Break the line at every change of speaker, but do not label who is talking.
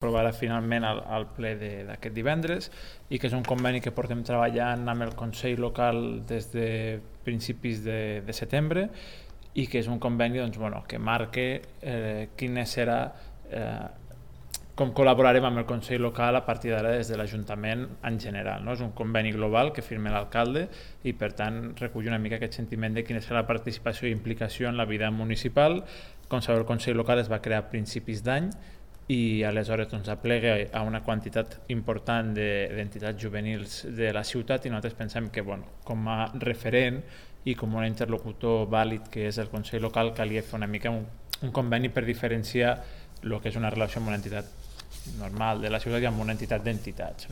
aprovarà finalment al ple d'aquest divendres i que és un conveni que portem treballant amb el Consell Local des de principis de setembre i que és un conveni que marca quina serà com col·laborarem amb el Consell Local a partir d'ara des de l'Ajuntament en general. És un conveni global que firma l'alcalde i per tant recull una mica aquest sentiment de quina serà la participació i implicació en la vida municipal. Com sabeu, el Consell Local es va crear a principis d'any i aleshores aplega a una quantitat important d'entitats juvenils de la ciutat i nosaltres pensem que com a referent i com un interlocutor vàlid que és el Consell Local calia fer una mica un conveni per diferenciar el que és una relació amb una entitat normal de la ciutat i amb una entitat d'entitats.